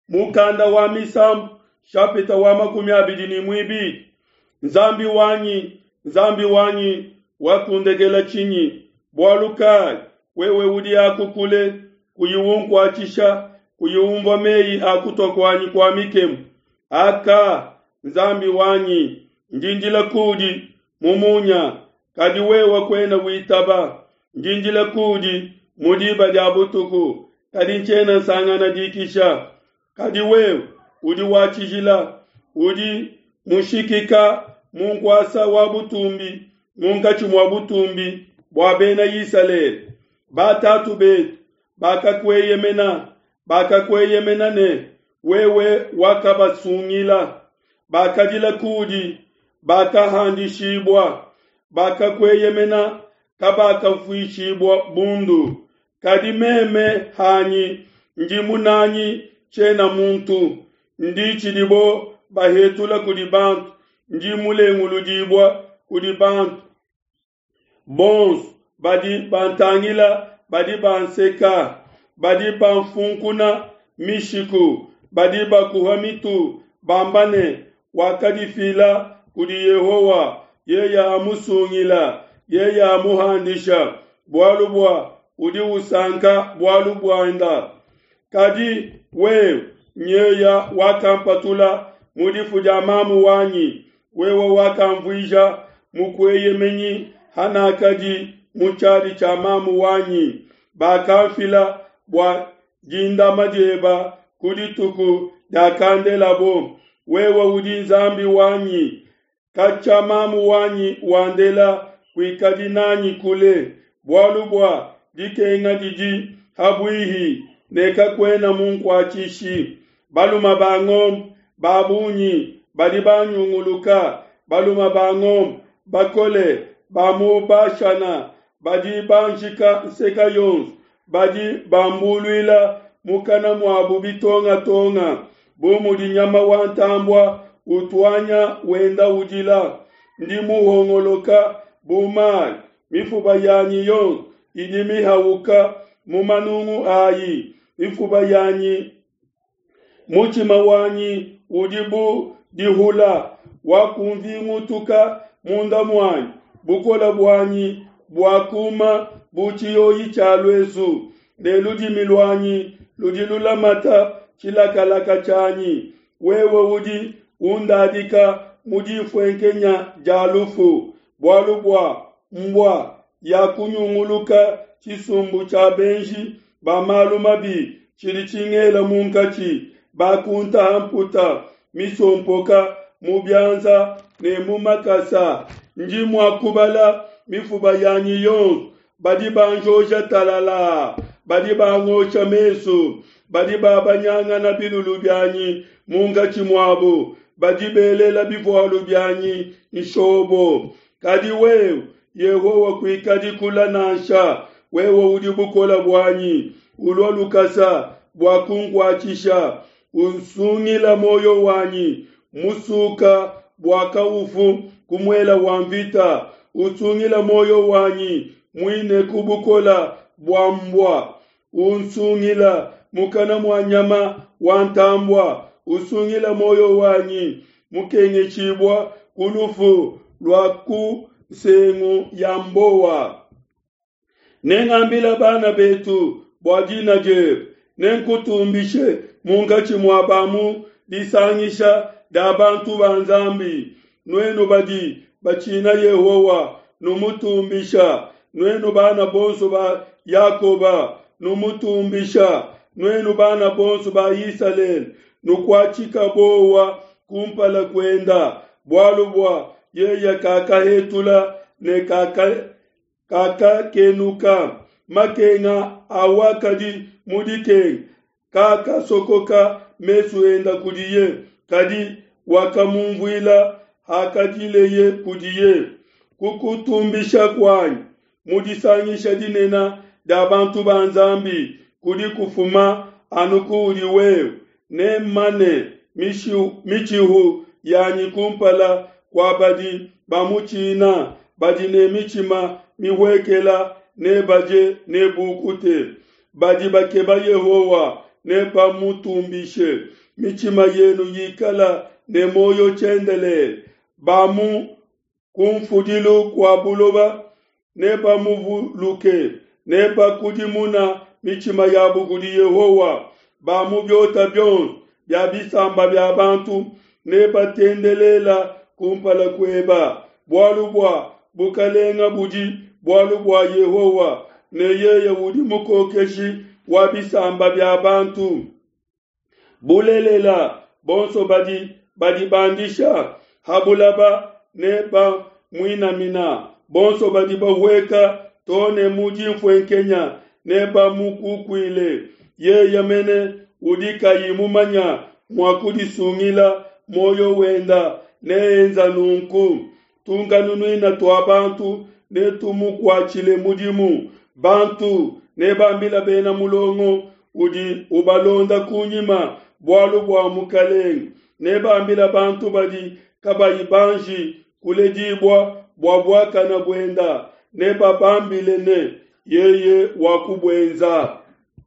Mukanda wa Misambu shapita wa 22. Nzambi wanyi, Nzambi wanyi, wakundekela tshinyi? Bualu kai wewe udi aku kule, kuyi unkuatshisha, kuyi umvua meyi a kutua kuanyi kua mikemu? Aka, Nzambi wanyi, ndi ndila kudi mu munya, kadi wewe kuena witaba. Ndi ndila kudi mu diba dia butuku, kadi ntshiena nsangana dikisha. Kadi wewe udi wa tshijila, udi mushikika mu nkuasa wa butumbi munkatshi mua butumbi bua bena Isalele. Batatu betu bakakueyemena, bakakueyemena ne wewe wakabasungila. Bakadila kudi, bakahandishibua, bakakueyemena, kabakafuishibua bundu. Kadi meme hanyi ndi munanyi, tshiena muntu, ndi tshidibo bahetula kudi bantu, ndi mulenguludibua kudi bantu. Bonso badi bantangila badi banseka, badi banfunkuna mishiku, badi bakuha mitu bamba ne, wakadifila kudi Yehowa, yeye amusungila, yeye amuhandisha, bualu bua udi usanka bualu buenda. Kadi wewe nyeya wakampatula mu difu dia mamu wanyi, wewe wakamvuija mukueyemenyi hanakadi mu tshiadi tshia mamu wanyi. Bakamfila bua dindama dieba ku dituku diakandelabo. Wewe udi Nzambi wanyi, katshia mamu wanyi wandela kuikadi nanyi kule, bualu bua dikenga didi habuihi ne kakuena munkuatshishi. Baluma ba ngombe ba bungi badi banyunguluka, baluma ba ngombe bakole ba mu Bashana badi banjika nseka yonso, badi bambuluila mukana muabu bitongatonga, bu mudi nyama wa ntambua utuanya wenda udila. Ndi muhongoloka bu mayi, mifuba yanyi yonso idi mihauka mu manungu ayi, mifuba yanyi mutshima wanyi udi bu dihula, wakunvingutuka munda muanyi, bukole buanyi buakuma bu tshiyoyi tshia luesu, ne ludimi luanyi ludi lulamata tshilakalaka tshianyi. Wewe udi undadika mu difuenkenya dia lufu, bualu bua mbua yakunyunguluka tshisumbu tshia benji ba malu mabi tshidi tshingela munkatshi, bakuntaha mputa misompoka mu bianza ne mu makasa. Ndi mua kubala mifuba yanyi yonso, badi banjoja talala, badi bangosha mesu, badi babanyangana bilulu bianyi munkatshi muabu, badi belela bivualu bianyi nshobo. Kadi wewe Yehowa kuikadi kula nansha, wewe udi bukole buanyi, ulua lukasa bua kunkuatshisha, usungila muoyo wanyi musuka bua kaufu ku muela wa mvita, usungila muoyo wanyi muine ku bukola bua mbua, unsungila mukana mua nyama wa ntambua, usungila muoyo wanyi mukengeshibua ku lufu lua ku nsengu ya mbowa. Nengambila bana betu bua dina diebe, nenkutumbishe munkatshi mua ba mu disangisha dia bantu ba Nzambi. Nuenu badi batshina Yehowa, numutumbisha. Nuenu bana bonso ba Yakoba, numutumbisha. Nuenu bana bonso ba Isalele, nukuatshika bowa kumpala kuenda, bualu bua yeye kakahetula ne kakakenuka. Makenga awakadi mu dikenga kakasokoka mesu enda kudiye, kadi wakamumvuila hakadileye kudiye. Kukutumbisha kuanyi mu disangisha dinene dia bantu ba Nzambi kudi kufuma anu kuudi wewe, nemmane mitshihu yanyi kumpala kua badi bamutshina, badi ne mitshima mihuekela ne badie ne bukute. Badi bakeba Yehowa. nebamutumbishe. Mitshima yenu yikala ne muoyo tshiendelele. Ba mu kumfudilu kua buloba nebamuvuluke, nebakudimuna mitshima yabu kudi Yehowa. Ba mu biota bionso bia bisamba bia bantu nebatendelela kumpala kueba, bualu bua bukalenga budi bualu bua Yehowa, ne yeye udi mukokeshi wa bisamba bia bantu. Bulelela, bonso badi badibandisha ha bulaba nebamuinamina, bonso badi bahueka to ne mu dinfuenkenya nebamukukuile. Yeye mene udi kayi mumanya mua kudisungila muoyo wenda neenza nunku. Tunkanunuina tua bantu netumukuatshile mudimu. Bantu nebambila bena mulongo udi ubalonda kunyima bualu bua Mukalenge. Nebambila bantu badi kabayi banji kuledibua bua buakana buenda. Nebabambile ne, yeye wakubuenza.